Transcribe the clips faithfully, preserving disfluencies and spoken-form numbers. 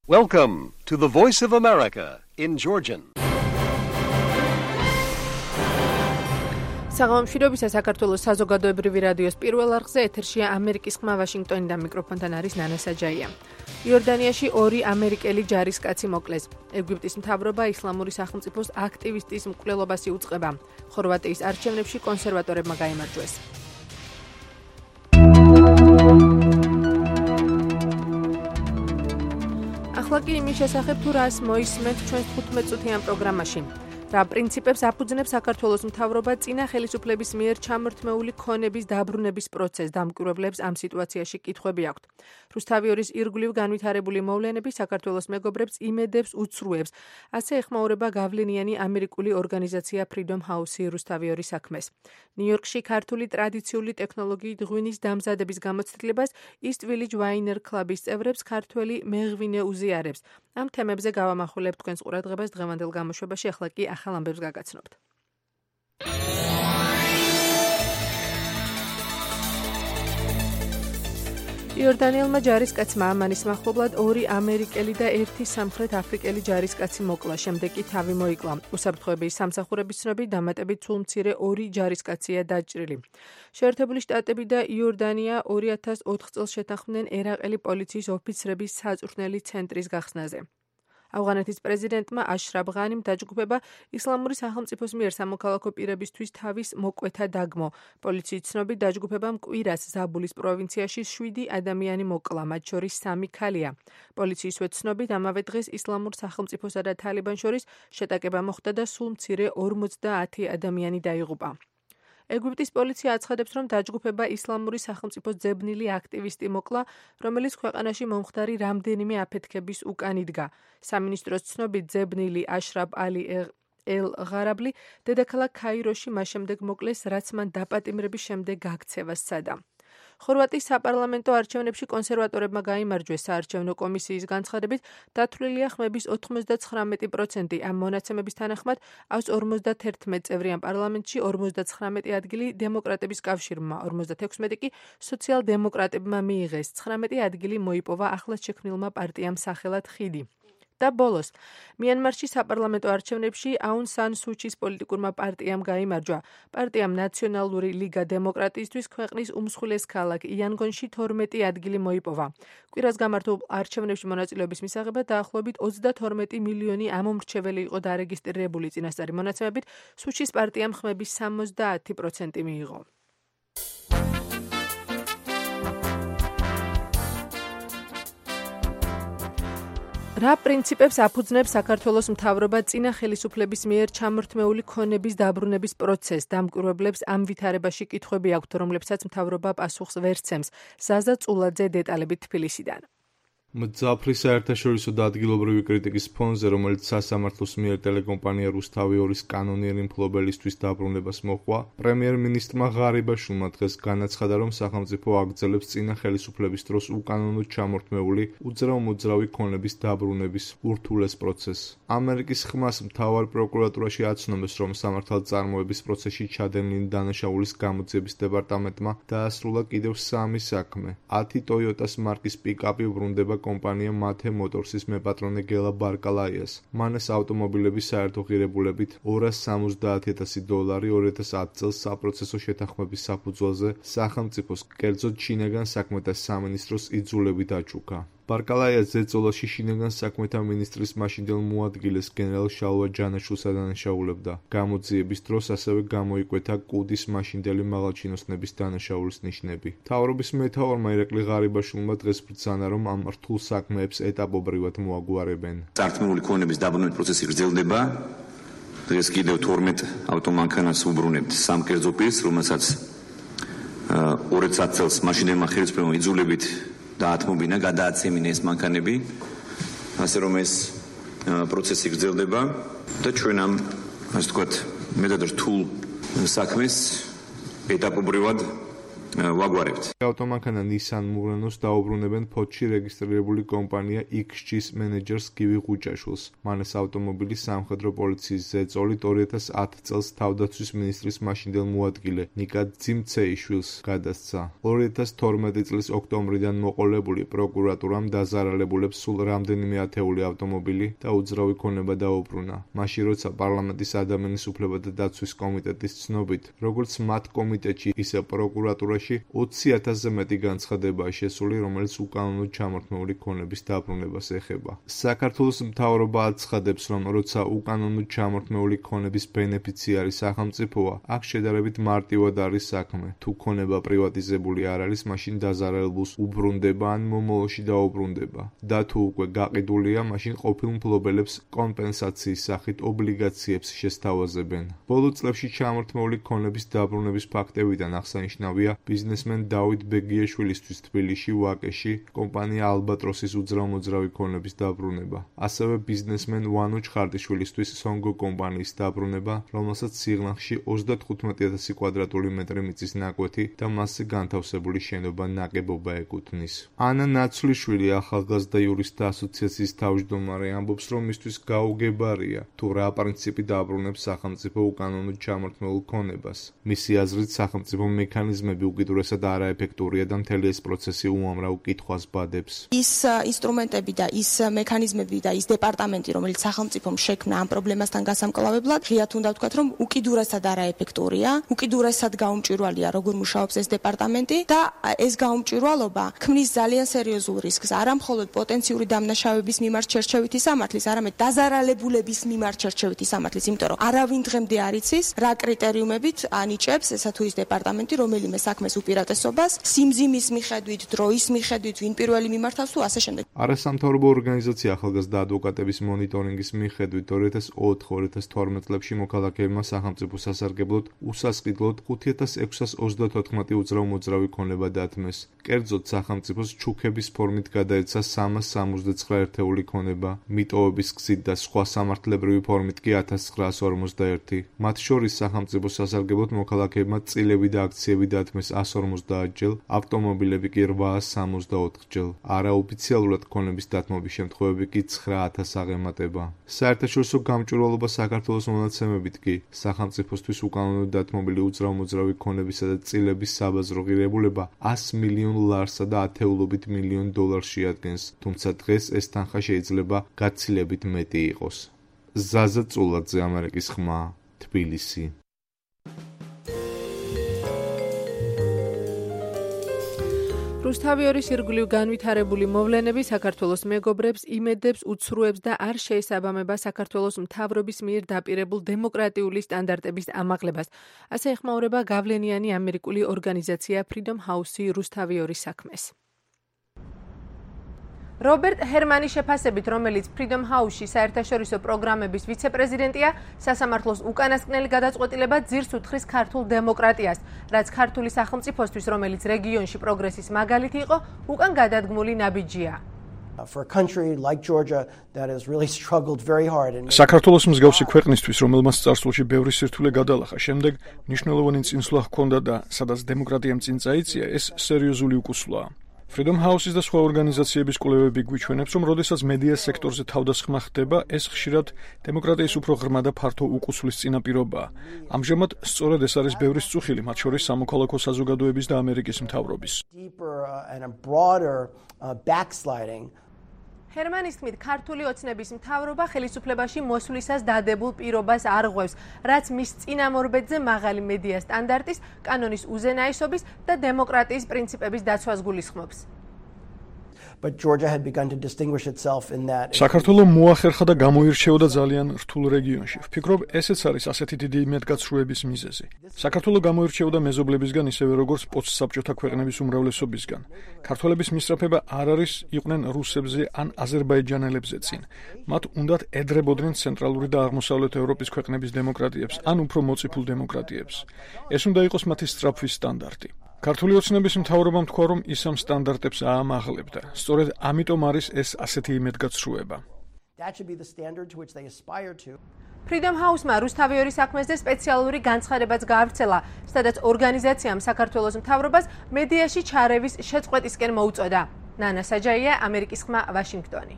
Welcome to the Voice of America in Georgian. საღამომშვიდობისა საქართველოს საზოგადოებრივი რადიოს პირველ არხზე ეთერშია ამერიკის ხმა ვაშინგტონიდან მიკროფონთან არის ნანა საჯაია. იორდანიაში ორი ამერიკელი ჯარისკაცი მოკლეს. ეგვიპტის მთავრობა ისლამური სახელმწიფოს აქტივისტის მკვლელობას იუწყება. ხორვატიის არჩევნებში კონსერვატორებმა გაიმარჯვეს. ახლა კი იმის შესახებ თუ რას მოისმენთ ჩვენს თხუთმეტწუთიან პროგრამაში. რა პრინციპებს აფუძნებს საქართველოს მთავრობა წინა ხელისუფლების მიერ ჩამორთმეული ქონების დაბრუნების პროცესს დამკვირვებლებს ამ სიტუაციაში კითხვები აქვთ. რუსთავიორის ირგვლივ განვითარებული მოვლენები საქართველოს მეგობრებს იმედებს უცრუებს. ასე ეხმაურება გავლენიანი ამერიკული ორგანიზაცია Freedom House-ი რუსთავიორის საქმეს. ნიუ-იორკში ქართული ტრადიციული ტექნოლოგიით ღვინის დამზადების გამოცდილებას East Village Winer Club-ის წევრებს ქართველი მეღვინე უზიარებს. ამ თემებზე გავამახვილებთ თქვენს ყურადღებას დღევანდელ გამოშვებაში, ახლა კი ახალ ამბებს გაგაცნობთ. იორდანიელმა ჯარისკაცმა ამანის მახლობლად ორი ამერიკელი და ერთი სამხრეთ აფრიკელი ჯარისკაცი მოკლა, შემდეგ კი თავი მოიკლა. უსაფრთხოების სამსახურების ცნობით დამატებით სულ მცირე ორი ჯარისკაცია დაჭრილი. შეერთებული შტატები და იორდანია ორი ათას ოთხ წელს შეთანხმდნენ ერაყელი პოლიციის ოფიცრების საწვრთნელი ცენტრის გახსნაზე. ავღანეთის პრეზიდენტმა აშრაფ ღანიმ დაჯგუფება ისლამური სახელმწიფოს მიერ სამოქალაქო პირებისთვის თავის მოკვეთა დაგმო. პოლიციის ცნობით დაჯგუფებამ კვირას ზაბულის პროვინციაში შვიდი ადამიანი მოკლა, მათ შორის სამი ქალია. პოლიციისვე ცნობით ამავე დღეს ისლამურ სახელმწიფოსა და თალიბანს შორის შეტაკება მოხდა და სულ მცირე ორმოცდაათი ადამიანი დაიღუპა. ეგვიპტის პოლიცია აცხადებს, რომ დაჯგუფება ისლამური სახელმწიფოს ძებნილი აქტივისტი მოკლა, რომელიც ქვეყანაში მომხდარი რამდენიმე აფეთქების უკან იდგა. სამინისტროს ცნობით ძებნილი აშრაფ ალი ელ-ღარაბლი დედაქალაქ ქაიროში მას შემდეგ მოკლეს, რაც მან დაპატიმრების შემდეგ გაქცევა სცადა. ხორვატიის საპარლამენტო არჩევნებში კონსერვატორებმა გაიმარჯვეს. საარჩევნო კომისიის განცხადებით დათვლილია ხმების ოთხმოცდაცხრამეტი პროცენტი. ამ მონაცემების თანახმად აქვს ორმოცდაათერთმეტ წევრიან პარლამენტში, ორმოცდაცხრამეტი ადგილი დემოკრატების კავშირმა, ორმოცდათექვსმეტი კი სოციალ-დემოკრატებმა მიიღეს. ცხრამეტი ადგილი მოიპოვა ახლად შექმნილმა პარტიამ სახელად ხიდი. და ბოლოს, მიანმარში საპარლამენტო არჩევნებში აუნ სან სუჩის პოლიტიკურმა პარტიამ გაიმარჯვა. პარტიამ ნაციონალური ლიგა დემოკრატიისთვის ქვეყნის უმსხვილეს ქალაქ იანგონში თორმეტი ადგილი მოიპოვა. კვირას გამართულ არჩევნებში მონაწილეობის მისაღებად დაახლოებით ოცდათორმეტი მილიონი ამომრჩეველი იყო დარეგისტრირებული. წინასწარი მონაცემებით სუჩის პარტიამ ხმების სამოცდაათი პროცენტი მიიღო. რა პრინციპებს აფუძნებს საქართველოს მთავრობა წინა ხელისუფლების მიერ ჩამორთმეული ქონების დაბრუნების პროცესს დამკვირვებლებს ამ ვითარებაში კითხვები აქვთ, რომლებსაც მთავრობა პასუხს ვერ სცემს. ზაზა წულაძე დეტალებით თბილისიდან. მძაფრი საერთაშორისო და ადგილობრივი კრიტიკის ფონზე, რომელიც სასამართლოს მიერ ტელეკომპანია რუსთავიორის კანონიერი მფლობელისთვის დაბრუნებას მოჰყვა, პრემიერ-მინისტრმა ღარიბაშვილმა დღეს განაცხადა, რომ სახელმწიფო აგრძელებს წინა ხელისუფლების დროს უკანონოდ ჩამორთმეული უძრავ-მოძრავი ქონების დაბრუნების ურთულეს პროცესს. ამერიკის ხმას მთავარ პროკურატურაში აცნობეს, რომ სამართალწარმოების პროცესში ჩადენილი დანაშაულის გამოძიების დეპარტამენტმა დაასრულა კიდევ სამი საქმე. ათი ტოიოტას მარკის პიკაპი ბრუნდება კომპანია მათე მოტორსის მეპატრონე გელა ბარკალაიას. მან ეს ავტომობილები საერთო ღირებულებით ორას სამოცდაათი ათასი დოლარი ორი ათას ათი წელს საპროცესო შეთანხმების საფუძველზე სახელმწიფოს, კერძოდ შინაგან საქმეთა სამინისტროს იძულებით აჩუქა. ბარკალაია ზეწოლაში შინაგან საქმეთა მინისტრის მაშინდელ მოადგილეს გენერალ შალვა ჯანაშულს ადანაშაულებდა. გამოძიების დროს ასევე გამოიკვეთა კუდის მაშინდელი მაღალჩინოსნების დანაშაულის ნიშნები. მთავრობის მეთაურმა ირაკლი ღარიბაშვილმა დღეს ბრძანა, რომ ამ რთულ საქმეებს ეტაპობრივად მოაგვარებენ. წართმეული ქონების დაბრუნების პროცესი გრძელდება. დღეს კიდევ თორმეტ ავტომანქანას უბრუნებთ სამ კერძო პირს, რომელსაც ორი ათას ათი წელს მაშინდელმა ხელისუფლებამ იძულებით დაათმობინა, გადააცემინა ეს მანქანები, ასე რომ ეს პროცესი გრძელდება და ჩვენ ამ, ასე ვთქვათ, მეტად რთულ საქმეს ეტაპობრივად ვაგვარებთ. ავტომანქანა Nissan Murano-ს დაუბრუნებენ ფოთში რეგისტრირებული კომპანია X G-ს მენეჯერს გივი ღუჭაშვილს. მან ეს ავტომობილი სამხედრო პოლიციის ზეწოლით ორი ათას ათი წელს თავდაცვის მინისტრის მაშინდელ მოადგილე ნიკა ძიმცეიშვილს გადასცა. ორი ათას თორმეტი წლის ოქტომბრიდან მოყოლებული პროკურატურამ დაზარალებულებს სულ რამდენიმე ათეული ავტომობილი და უძრავი ქონება დაუბრუნა. მაშინ როცა პარლამენტის ადამიანის უფლებათა დაცვის კომიტეტის ცნობით, როგორც მათ კომიტეტში, ისე პროკურატურაში ოცი ათასზე მეტი განცხადებაა შესული, რომელიც უკანონოდ ჩამორთმეული ქონების დაბრუნებას ეხება. საქართველოს მთავრობა აცხადებს, რომ როცა უკანონოდ ჩამორთმეული ქონების ბენეფიციარი სახელმწიფოა, აქ შედარებით მარტივად არის საქმე. თუ ქონება პრივატიზებული არ არის, მაშინ დაზარალებულს უბრუნდება ან მომავალში დაუბრუნდება. და თუ უკვე გაყიდულია, მაშინ ყოფილ მფლობელებს კომპენსაციის სახით ობლიგაციებს შესთავაზებენ. ბოლო წლებში ჩამორთმეული ქონების დაბრუნების ფაქტებიდან აღსანიშნავია ბიზნესმენ დავით ბეგიაშვილისთვის თბილისში ვაკეში კომპანია ალბატროსის უძრავ-მოძრავი ქონების დაბრუნება. ასევე ბიზნესმენ ვანო ჩხარტიშვილისთვის სონგო კომპანიის დაბრუნება, რომელსაც სიღნაღში ოცდათხუთმეტი ათასი კვადრატული მეტრი მიწის ნაკვეთი და მასზე განთავსებული შენობა ნაგებობა ეკუთვნის. ანა ნაცვლიშვილი ახალგაზრდა იურისტთა ასოციაციის თავმჯდომარე ამბობს, რომ მისთვის გაუგებარია თუ რა პრინციპი დაბრუნებს სახელმწიფო უკანონოდ ჩამორთმეულ ქონებას. მისი აზრით სახელმწიფო მექანიზმები უკიდურესად არაეფექტურია და მთელი ეს პროცესი უამრავ კითხვას ბადებს. ის ინსტრუმენტები და ის მექანიზმები და ის დეპარტამენტი, რომელიც სახელმწიფომ შექმნა ამ პრობლემასთან გასამკლავებლად, ღიად უნდა ვთქვათ, რომ უკიდურესად არაეფექტურია, უკიდურესად გაუმჭვირვალეა, როგორ მუშაობს ეს დეპარტამენტი და ეს გაუმჭვირვალობა ქმნის ძალიან სერიოზულ რისკს, არა მხოლოდ პოტენციური დამნაშავების მიმართ შერჩევითი სამართლის, არამედ დაზარალებულების მიმართ შერჩევითი სამართლის, იმიტომ რომ არავინ დღემდე არ იცის, რა კრიტერიუმებით ანიჭებს ესა თუ ის დეპარტამენტი, რომელიმე საქმეს უპირატესობას, სიმძიმის მიხედვით, დროის მიხედვით, ვინ პირველი მიმართავს თუ ასე შემდეგ. არასამთავრობო ორგანიზაცია ახალგაზრდა ადვოკატების მონიტორინგის მიხედვით ორი ათას ოთხ ორი ათას თორმეტ წლებში მოქალაქეებმა სახელმწიფო სასარგებლოდ უსასყიდლოდ ხუთი ათას ექვსას ოცდათოთხმეტი უძრავ-მოძრავი ქონება დათმეს. კერძოდ სახელმწიფოს ჩუქების ფორმით გადაეცა სამას სამოცდაცხრა ერთეული ქონება, მიტოვების გზით და სხვა სამართლებრივი ფორმით კი ათას ცხრაას ორმოცდაერთი. მათ შორის სახელმწიფო სასარგებლოდ მოქალაქეებმა წილები და აქციები დათმეს ასი ორმოცდაათ ჯერ, ავტომობილები კი რვაას სამოცდაოთხ ჯერ. არაოფიციალურად ქონების დათმობის შემთხვევები კი ცხრა ათას აღემატება. საერთაშორისო გამჭვირვალობა საქართველოს მონაცემებით კი სახელმწიფოსთვის უკანონოდ დათმობილი უძრავ-მოძრავი ქონებისა და წილების საბაზრო ღირებულება ას მილიონ ლარსა და ათეულობით მილიონ დოლარს შეადგენს, თუმცა დღეს ეს თანხა შეიძლება გაცილებით მეტი იყოს. ზაზა წულაძე, ამერიკის ხმა, თბილისი. რუსთავიორის ირგვლივ განვითარებული მოვლენები საქართველოს მეგობრებს იმედებს უცრუებს და არ შეესაბამება საქართველოს მთავრობის მიერ დაპირებულ დემოკრატიული სტანდარტების ამაღლებას. ასე ეხმაურება გავლენიანი ამერიკული ორგანიზაცია Freedom House-ი რუსთავიორის საქმეს. რობერტ ჰერმანის შეფასებით, რომელიც Freedom House-ში საერთაშორისო პროგრამების ვიცე-პრეზიდენტია, სასამართლოს უკანასკნელი გადაწყვეტილება ძირს უთხრის ქართულ დემოკრატიას, რაც ქართული სახელმწიფოსთვის, რომელიც რეგიონში პროგრესის მაგალითი იყო, უკან გადადგმული ნაბიჯია. საქართველოს მსგავსი ქვეყნისთვის, რომელმაც წარსულში ბევრი სირთულე გადალახა, შემდეგ მნიშვნელოვანი წინსვლა ჰქონდა და სადაც დემოკრატიამ წინ წაიწია, ეს სერიოზული უკუსვლაა. Freedom House-ის და სხვა ორგანიზაციების კვლევები გვიჩვენებს, რომ როდესაც მედია სექტორზე თავდასხმა ხდება, ეს ხშირად დემოკრატიის უფრო ღრმა და ფართო უკუსვლის წინაპირობაა. ამჟამად სწორედ ეს არის ბევრის წუხილი, მათ შორის სამოქალაქო საზოგადოების და ამერიკის მთავრობის. ჰერმანის თქმით, ქართული ოცნების მთავრობა ხელისუფლებაში მოსვლისას დადებულ პირობას არ ღვევს, რაც მის წინამორბედზე მაღალი მედია სტანდარტის, კანონის უზენაესობის და დემოკრატიის პრინციპების დაცვას გულისხმობს. საქართველო მოახერხა და გამოირჩეოდა ძალიან რთულ რეგიონში. ვფიქრობ, ესეც არის ასეთი დიდი იმედგაცრუების მიზეზი. საქართველო გამოირჩეოდა მეზობლებისგან ისევე როგორც პოსტსაბჭოთა ქვეყნების უმრავლესობისგან. ქართველების მისწრაფება არ არის იყვნენ რუსებზე ან აზერბაიჯანელებზე წინ. მათ უნდათ ედრებოდნენ ცენტრალური და აღმოსავლეთ ევროპის ქვეყნების დემოკრატიებს ან უფრო მოწიფულ დემოკრატიებს. ეს უნდა იყოს მათი სწრაფვის სტანდარტი. ქართული ოცნების მთავრობამ თქვა, რომ ის ამ სტანდარტებს აამაღლებდა. სწორედ ამიტომ არის ეს ასეთი იმედგაცრუება. Freedom House-მა რუსთავი ორი საქმეზე სპეციალური განცხადებაც გაავრცელა, სადაც ორგანიზაციამ საქართველოს მთავრობას მედიაში ჩარევის შეწყვეტისკენ მოუწოდა. ნანა საჯაია, ამერიკის ხმა, ვაშინგტონი.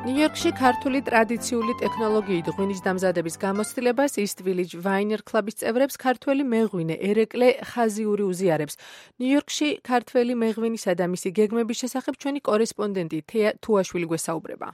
ნიუ-იორკში ქართული ტრადიციული ტექნოლოგიით ღვინის დამზადების გამოცდილებას East Village Winer Club-ის წევრებს ქართველი მეღვინე ერეკლე ხაზიური უზიარებს. ნიუ-იორკში ქართველი მეღვინისა და მისი გეგმების შესახებ ჩვენი კორესპონდენტი თეა თუაშვილი გვესაუბრება.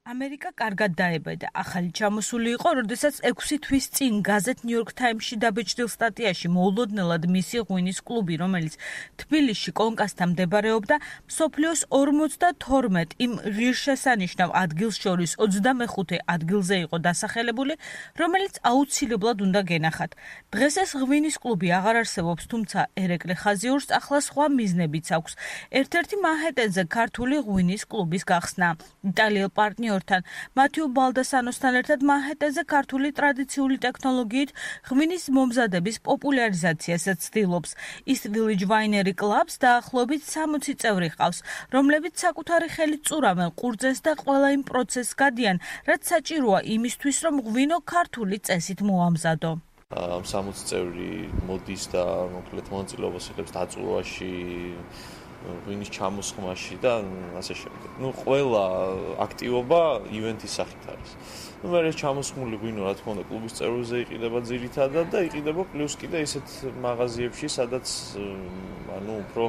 ამერიკა კარგად დაებადა. ახალი ჩამოსული იყო, როდესაც ექვსი თვის წინ გაზეთ New York Times-ში დაბეჭდილ სტატიაში მოულოდნელად მისი ღვინის კლუბი, რომელიც თბილისში კონკასთან მდებარეობდა, მსოფლიოს ორმოცდათორმეტ იმ ღირსშესანიშნავ ადგილს შორის ოცდამეხუთე ადგილზე იყო დასახელებული, რომელიც აუცილებლად უნდა გენახათ. დღეს ეს ღვინის კლუბი აღარ არსებობს, თუმცა ერეკლე ხაზიურს ახლა სხვა მიზნებიც აქვს. ერთ-ერთი მანჰეტენზე ქართული ღვინის კლუბის გახსნა. იტალიელ პარტნიორ მათიუ ბალდასანოსთან ერთად მანჰეტენზე ქართული ტრადიციული ტექნოლოგიით ღვინის მომზადების პოპულარიზაციასაც ცდილობს. East Village Winer Club-ს დაახლოებით სამოცი წევრი ჰყავს, რომლებიც საკუთარი ხელით წურავენ ყურძენს და ყველა იმ პროცესს გადიან, რაც საჭიროა იმისთვის, რომ ღვინო ქართული წესით მოამზადო. ამ სამოცი წევრი მოდის და მოკლედ მონაწილეობას იღებს დაწურვაში, ღვინის ჩამოსხმაში და ასე შემდეგ. ნუ ყველა აქტივობა ივენთის სახით არის. ნუ მე ჩამოსხმული ღვინო რა თქმა უნდა კლუბის წევრებზე იყიდება ძირითადად და იყიდება პლუს კიდე ისეთ მაღაზიებში, სადაც ანუ უფრო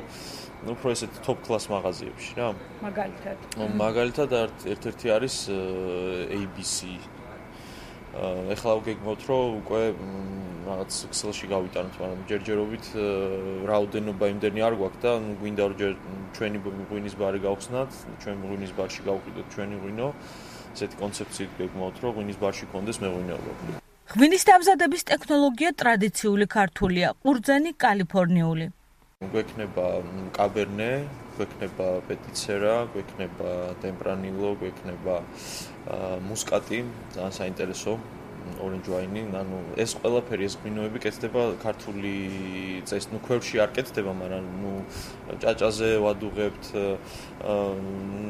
ნუ უფრო ესეთ top class მაღაზიებში რა. მაგალითად. მაგალითად ერთ-ერთი არის A B C. ეხლა ვგეგმოთ, რომ უკვე რაღაც Excel-ში გავიტანოთ, მაგრამ ჯერჯერობით რაოდენობა იმდენი არ გვაქვს და გვინდა რომ ჩვენი ღვინის ბარი გავხსნათ, ჩვენ ღვინის ბარში გავყიდოთ ჩვენი ღვინო. ესეთი კონცეფციით ვგეგმოთ, რომ ღვინის ბარში კონდეს მეღვინეობა. ღვინის დამზადების ტექნოლოგია ტრადიციული ქართულია, ყურძენი კალიფორნიული. გვექნება კაბერნე, გვექნება პეტიცერა, გვექნება ტემპრანილო, გვექნება მუსკატი, ძალიან საინტერესო orange wine, ანუ ეს ყველაფერი ეს ღვინოები კეთდება ქართული წესით, ნუ ქვევში არ კეთდება, მაგრამ ნუ ჭაჭაზე ვადუღებთ,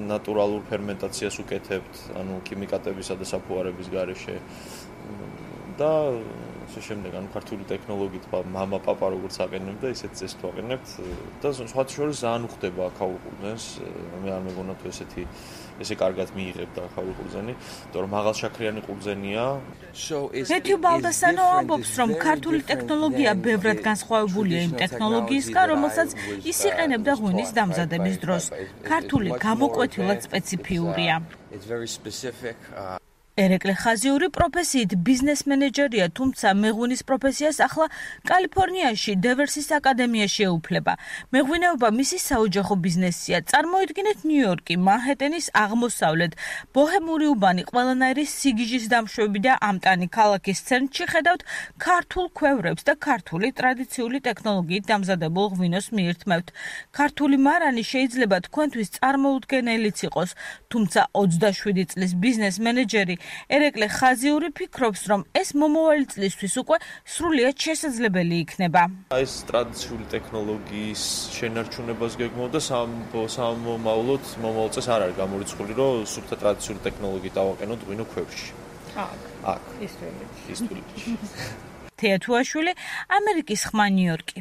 ნატურალურ ფერმენტაციას უკეთებთ, ანუ ქიმიკატებისა და საფუარების გარეშე და ასე შემდეგ, ანუ ქართული ტექნოლოგიით მამა პაპა როგორც აყენებდა, ისეთ წესს ვაყენებთ და სხვა შორის ძალიან უხდება აქაურ ყურძენს, მე არ მეგონა თუ ესეთი ესე კარგად მიიღებდა ახალი ყურძენი, იმიტომ რომ მაღალშაქრიანი ყურძენია. მეთიუ ბალდასანო ამბობს, რომ ქართული ტექნოლოგია ბევრად განსხვავებულია იმ ტექნოლოგიისგან, რომელსაც ის იყენებდა ღვინის დამზადების დროს. ქართული გამოკვეთილად სპეციფიურია. ერეკლე ხაზიური პროფესიით ბიზნეს მენეჯერია, თუმცა მეღვინის პროფესიას ახლა კალიფორნიაში დევერსის აკადემიაში ეუფლება. მეღვინეობა მისი საოჯახო ბიზნესია. წარმოიდგინეთ ნიუ-იორკი, მანჰეტენის აღმოსავლეთ, ბოჰემური უბანი, ყველანაირი სიგიჟის დამშვები და ამტანი ქალაქის ცენტრში ხედავთ ქართულ ქვევრებს და ქართული ტრადიციული ტექნოლოგიით დამზადებულ ღვინოს მიირთმევთ. ქართული მარანი შეიძლება თქვენთვის წარმოუდგენელიც იყოს, თუმცა ოცდაშვიდი წლის ბიზნეს მენეჯერი ერეკლე ხაზიური ფიქრობს, რომ ეს მომავალი წლისთვის უკვე სრულიად შესაძლებელი იქნება. ეს ტრადიციული ტექნოლოგიის შენარჩუნებას გეგმავ და სამომავლოდ მომავალ წელს არ არის გამორიცხული, რომ სუფთა ტრადიციული ტექნოლოგიით ავაყენოთ ღვინო ქვევში. აქ. აქ. East Village. თეა თუაშვილი, ამერიკის ხმა, ნიუ-იორკი.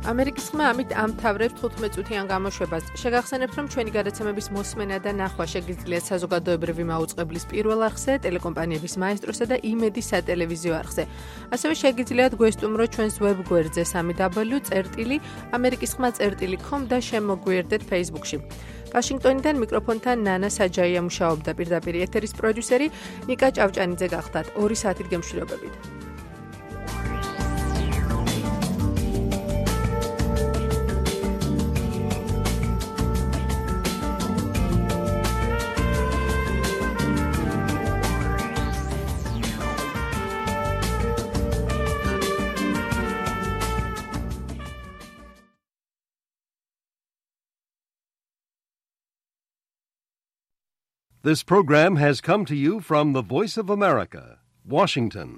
ამერიკის ხმა ამით ამთავრებს თხუთმეტ წუთიან გამოშვებას. შეგახსენებთ, რომ ჩვენი გადაცემების მოსმენა და ნახვა შეგიძლიათ საზოგადოებრივი მაუწყებლის პირველ არხზე, ტელეკომპანიების მაესტროსა და იმედის სატელევიზიო არხზე. ასევე შეგიძლიათ გვესტუმროთ ჩვენს ვებგვერდზე სამი დაბლიუ წერტილი ამერიკის ხმა წერტილი com და შემოგვიერთდეთ Facebook-ში. ვაშინგტონიდან მიკროფონთან ნანა საჯაია მუშაობდა, პირდაპირ ეთერის პროდიუსერი ნიკა ჭავჭანიძე გახდათ. ორი საათით გემშვიდობებით. This program has come to you from the Voice of America, Washington.